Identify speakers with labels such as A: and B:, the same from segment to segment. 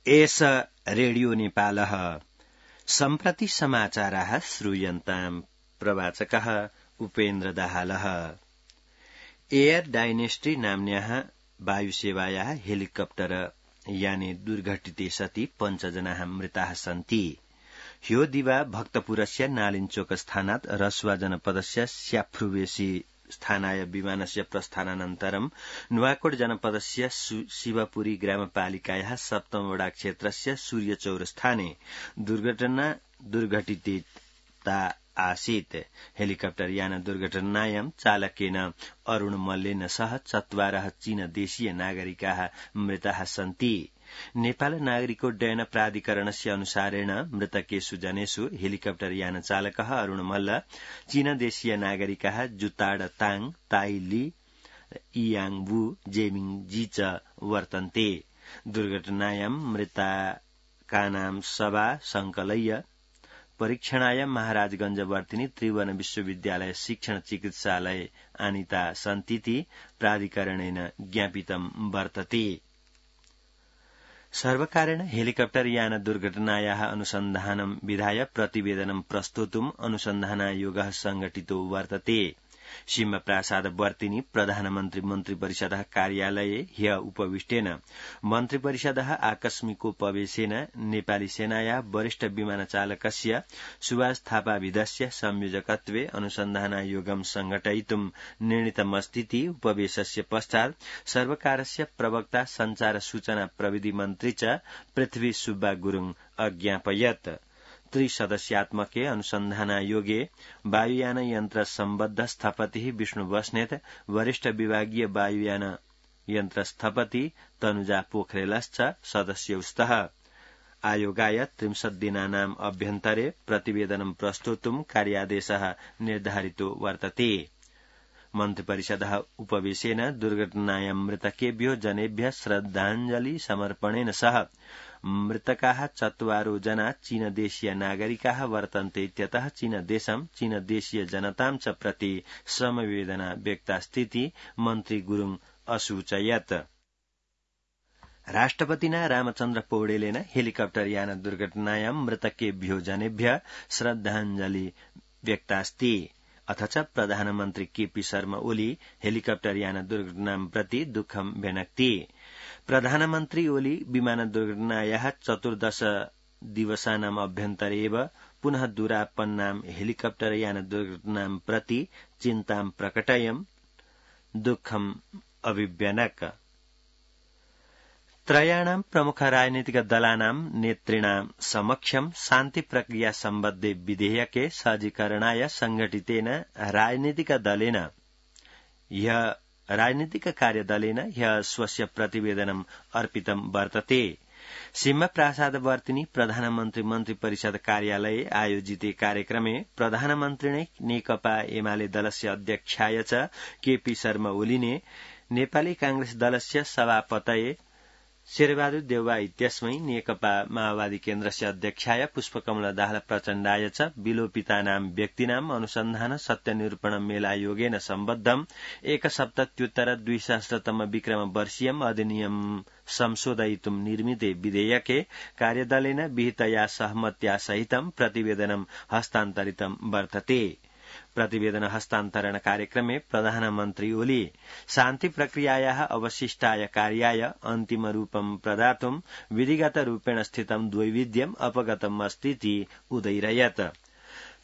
A: एष रेडियो नेपालः सम्प्रति समाचाराः श्रूयन्ताम् प्रवाचकः उपेन्द्र दाहालः। एयर डायनेस्टी नाम्न्याः वायुसेवायाः हेलिकप्टर याने दुर्घटिते सति 5 जनाः मृताः सन्ति। ह्यो दिवा भक्तपुरस्य नालिञ्चोक स्थानात् रसुवा जनपदस्य स्याफ्रुवेसी स्थानाय विमानस्य प्रस्थानानन्तरं नुवाकोट जनपदस्य शिवपुरी ग्रामपालिकायाः 7 वडा क्षेत्रस्य सूर्यचौर स्थाने दुर्घटिता आसीत्। हेलिकप्टर यान दुर्घटनायां चालकेन अरूण मल्लेन सह 4 चीनदेशीय नागरिकाः मृताः सन्ति। नेपाल नागरिकोड्डयन प्राधिकरणस्य अनुसारेण मृतकेषु जनेषु हेलिकप्टर यान चालकः अरूण मल्ल, चीनदेशीय नागरिकाः जुताड ताङ, ताई ली, इयाङ वु, जेमिङ जी च वर्तन्ते। दुर्घटनायां मृताकानां शवा संकलय्य परीक्षणाय महाराजगंज वर्तिनी त्रिभुवन विश्वविद्यालय शिक्षण चिकित्सालय आनीता सन्तीति प्राधिकरणेन ज्ञापितं वर्तते। सर्वकारेण हेलिकप्टर यान दुर्घटनायाः अनुसन्धानं विधाय प्रतिवेदनं प्रस्तोतुम् अनुसन्धानायोगः संघटितो वर्तते। सिंहप्रासाद वर्तिनी प्रधानमन्त्री मन्त्रिपरिषदः कार्यालये ह्य उपविष्टेन मन्त्रिपरिषदः आकस्मिकोपवेशेन नेपाली सेनायाः वरिष्ठ विमानचालकस्य सुभाष थापाविधस्य संयोजकत्वे अनुसन्धानायोगं संघटयितुं निर्णीतमस्तीति उपवेशस्य पश्चात् सर्वकारस्य प्रवक्ता संचार सूचना प्रविधि मन्त्री च पृथ्वी सुब्बा गुरुङ अज्ञापयत्। 3 सदस्यात्मके अनुसन्धानायोगे वायुयान यन्त्र सम्बद्ध स्थपतिः विष्णु बस्नेत, वरिष्ठ विभागीय वायुयान यन्त्र स्थपति तनुजा पोखरेलश्च सदस्यौ स्तः। आयोगाय 30 दिनानाम् अभ्यन्तरे प्रतिवेदनं प्रस्तोतुं कार्यादेशः निर्धारितो वर्तते। मन्त्रिपरिषदः उपवेशेन दुर्घटनायां मृतकेभ्यो जनेभ्यः श्रद्धाञ्जलि समर्पणेन सह मृतकाः 4 जना चीनदेशीय नागरिकाः वर्तन्ते इत्यतः चीनदेशं चीनदेशीय जनतां च प्रति समवेदना व्यक्तास्तीति मन्त्री गुरुङ असूचयत्। राष्ट्रपतिना रामचन्द्र पौडेलेन हेलिकप्टर यान दुर्घटनायां मृतकेभ्यो जनेभ्यः श्रद्धाञ्जलि व्यक्तास्ति। अथ च प्रधानमन्त्री केपी शर्मा ओली हेलिकप्टर यान दुर्घटनां प्रति दुःखं व्यनक्ति। प्रधानमन्त्री ओली विमान दुर्घटनायाः 14 दिवसानाम् अभ्यन्तरे एव पुनः दुरापन्नां हेलिकप्टर यान दुर्घटनां प्रति चिन्तां प्रकटयन् दुःखम् अभिव्यनक्। त्रयाणां प्रमुख राजनीतिक दलानां नेतृणां समक्षं शान्ति प्रक्रिया सम्बद्धे विधेयके सज्जीकरणाय संघटितेन राजनीतिक कार्यदलेन ह्यः स्वस्य प्रतिवेदनम् अर्पितं वर्तते। सिंहप्रासादवर्तिनी प्रधानमन्त्री मन्त्रिपरिषद कार्यालये आयोजिते कार्यक्रमे प्रधानमन्त्रिणे नेकपा एमाले दलस्य अध्यक्षाय च केपी शर्मा ओलीने नेपाली कांग्रेस दलस्य सभापतये शेरबहादुर देउवा इत्यस्मै नेकपा माओवादी केन्द्रस्य अध्यक्षाय पुष्पकमल दाहाल प्रचण्डाय च विलोपितानां व्यक्तिनाम् अनुसन्धान सत्यनिरूपण मेलायोगेन सम्बद्धम् 1/7/2000 विक्रम वर्षीयम् अधिनियम संशोधयितुं निर्मिते विधेयके कार्यदलेन विहितया सहमत्या सहितं प्रतिवेदनं हस्तान्तरितं वर्तते। प्रतिवेदन हस्तान्तरण कार्यक्रमे प्रधानमन्त्री ओली शान्ति प्रक्रियायाः अवशिष्टाय कार्याय अन्तिम रूपं प्रदातुं विधिगत रूपेण स्थितं द्वैविध्यम् अपगतम् अस्तीति उदैरयत्।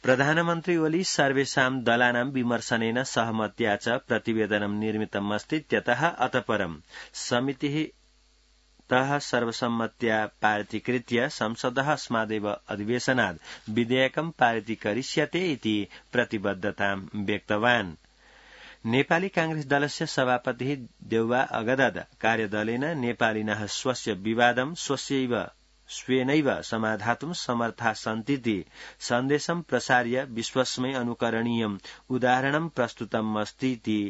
A: प्रधानमन्त्री ओली सर्वेषां दलानां विमर्शनेन सहमत्या च प्रतिवेदनं निर्मितम् अस्तीत्यतः अतःपरं समितिः सर्वसम्मत्या पारितीकृत्य संसदः अस्मादेव अधिवेशनात् विधेयकं पारितीकरिष्यते इति प्रतिबद्धतां व्यक्तवान्। नेपाली कांग्रेस दलस्य सभापतिः देउवा अगदद कार्यदलेन नेपालिनः स्वस्य विवादं स्वेनैव समाधातुं समर्था सन्तीति सन्देशं प्रसार्य विश्वस्मै अनुकरणीयम् उदाहरणं प्रस्तुतम् अस्तीति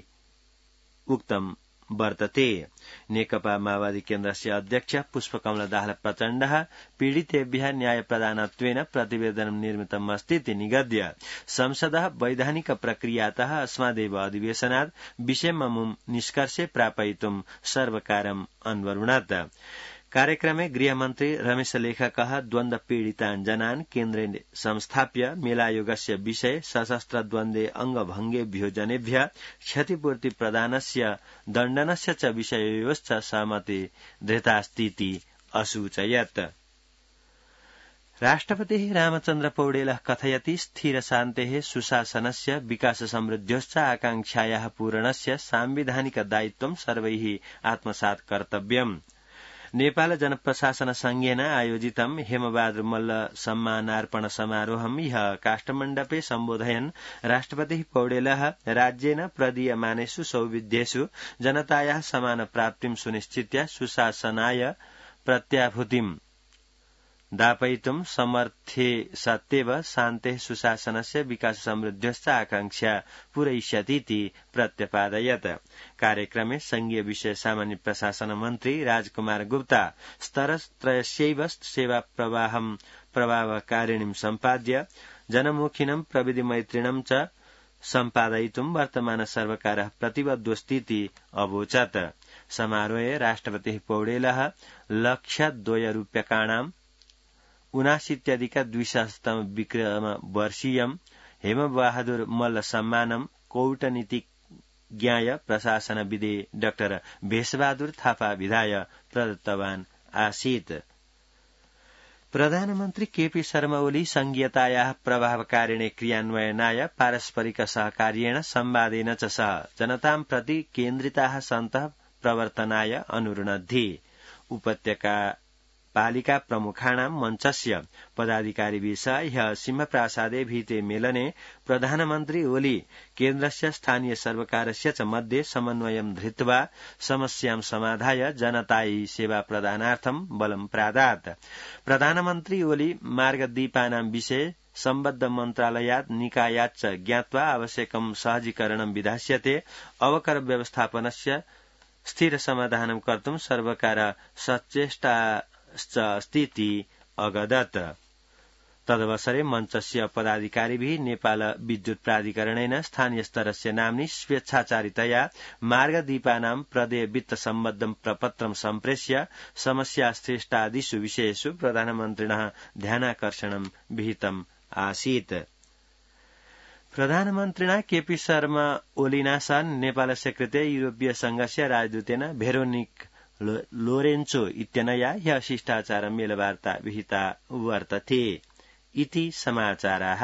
A: उक्तम् वर्तते। नेकपा माओवादी केन्द्रस्य अध्यक्ष पुष्पकमल दाहाल प्रचण्डः पीडितेभ्यः न्याय प्रदानत्वेन प्रतिवेदनं निर्मितम् अस्तीति निगद्य संसदः वैधानिक प्रक्रियातः अस्मादेव अधिवेशनात् विषयममुं निष्कर्षे प्रापयितुं सर्वकारम् अन्वरुणत्। कार्यक्रमे गृहमन्त्री रमेश लेखकः द्वन्द्व पीडितान् जनान् केन्द्रे संस्थाप्य मेलायोगस्य विषय सशस्त्र द्वन्द्वे अंगभंगेभ्यो जनेभ्य क्षतिपूर्ति प्रदानस्य दण्डनस्य च विषययोश्च सहमति धृतास्तीति असूचयत्। राष्ट्रपतिः रामचन्द्र पौडेलः कथयति स्थिरशान्तेः सुशासनस्य विकास समृद्ध्योश्च आकांक्षायाः पूरणस्य सांविधानिक दायित्वं सर्वैः आत्मसात् कर्तव्यम्। नेपाल जनप्रशासन संघेन आयोजितं हेमबहादुर मल्ल सम्मानार्पण समारोहं ह्यः काष्ठमण्डपे सम्बोधयन् राष्ट्रपतिः पौडेलः राज्येन प्रदीयमानेषु सौविध्येषु जनतायाः समान प्राप्तिं सुनिश्चित्य सुशासनाय प्रत्याभूतिम् दापयितुं समर्थे सत्येव शान्तेः सुशासनस्य विकास समृद्ध्यश्च आकांक्षा पूरयिष्यतीति प्रत्यपादयत्। कार्यक्रमे संघीय विषय सामान्य प्रशासन मन्त्री राजकुमार गुप्ता स्तरत्रयस्यैव सेवा प्रवाहं प्रभावकारिणीं सम्पाद्य जनमुखिनं प्रविधिमैत्रिणं च सम्पादयितुं वर्तमान सर्वकारः प्रतिबद्धोऽस्तीति अवोचत्। समारोहे राष्ट्रपतिः पौडेलः लक्षद्वयरूप्यकाणां 79,200 विक्रम वर्षीयं हेमबहादुर मल्ल सम्मानं कौटनीतिज्ञाय प्रशासनविदे डाक्टर भेषबहादुर थापा विधाय प्रदत्तवान् आसीत्। प्रधानमन्त्री केपी शर्मा ओली संघीयतायाः प्रभावकारिणे क्रियान्वयनाय पारस्परिक सहकार्येण संवादेन च सह जनतां प्रति केन्द्रिताः सन्तः प्रवर्तनाय अनुरुणद्धि। उपत्यका पालिका प्रमुखाणां मञ्चस्य पदाधिकारिभिः सह ह्यः सिंहप्रासादे भीते मेलने प्रधानमन्त्री ओली केन्द्रस्य स्थानीय सर्वकारस्य च मध्ये समन्वयं धृत्वा समस्यां समाधाय जनतायै सेवा प्रदानार्थं बलं प्रादात्। प्रधानमन्त्री ओली मार्गदीपानां विषये सम्बद्ध मन्त्रालयात् निकायात् च ज्ञात्वा आवश्यकं सहजीकरणं विधास्यते अवकर व्यवस्थापनस्य स्थिर समाधानं कर्तुं सर्वकार सचेष्टा अस्तीति अगदत्। तदवसरे मञ्चस्य पदाधिकारिभिः नेपाल विद्युत प्राधिकरणेन स्थानीय स्तरस्य नाम्नि स्वेच्छाचारितया मार्गदीपानां प्रदेय वित्त सम्बद्धं प्रपत्रं सम्प्रेष्य समस्याश्रेष्ठादिषु विषयेषु प्रधानमन्त्रिणः ध्यानाकर्षणं विहितम् आसीत्। प्रधानमन्त्रिणा केपी शर्मा ओलिना सह नेपालस्य कृते यूरोपीय संघस्य राजदूतेन भेरोनिक लोरेन्चो इत्यनया ह्यः शिष्टाचार मेलवार्ता विहिता वर्तते इति समाचाराः।